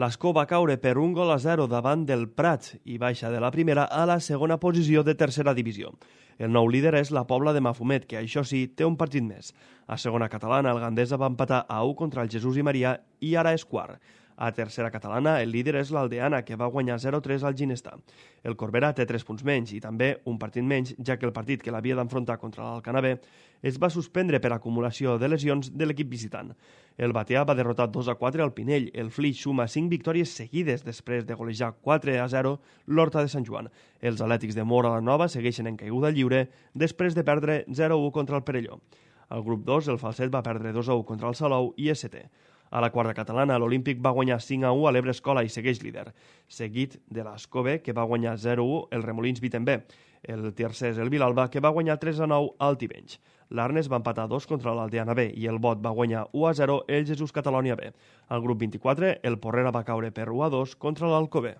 L'Escó va caure per 1-0 davant del Prat i baixa de la primera a la segona posició de tercera divisió. El nou líder és la Pobla de Mafumet, que això sí, té un partit més. A segona catalana, el Gandesa va empatar a 1 contra el Jesús i Maria i ara és quart. A tercera catalana, el líder és l'Aldeana, que va guanyar 0-3 al Ginestà. El Corbera té 3 punts menys i també un partit menys, ja que el partit que l'havia d'enfrontar contra l'Alcanavè es va suspendre per acumulació de lesions de l'equip visitant. El Batea va derrotar 2-4 al Pinell. El Flix suma 5 victòries seguides després de golejar 4-0 l'Horta de Sant Joan. Els Atlètics de Móra la Nova segueixen en caiguda lliure després de perdre 0-1 contra el Perelló. Al grup 2, el Falset va perdre 2-1 contra el Salou i és setè. A la quarta catalana, l'Olímpic va guanyar 5-1 a l'Ebre Escola i segueix líder, seguit de l'Escó-B, que va guanyar 0-1 el Remolins Vitember. El tercer és el Vilalba, que va guanyar 3-9 al Tivenys. L'Arnes va empatar 2 contra l'Aldeana B i el Bot va guanyar 1-0 el Jesús Catalònia B. Al grup 24, el Porrera va caure per 1-2 contra l'Alcover.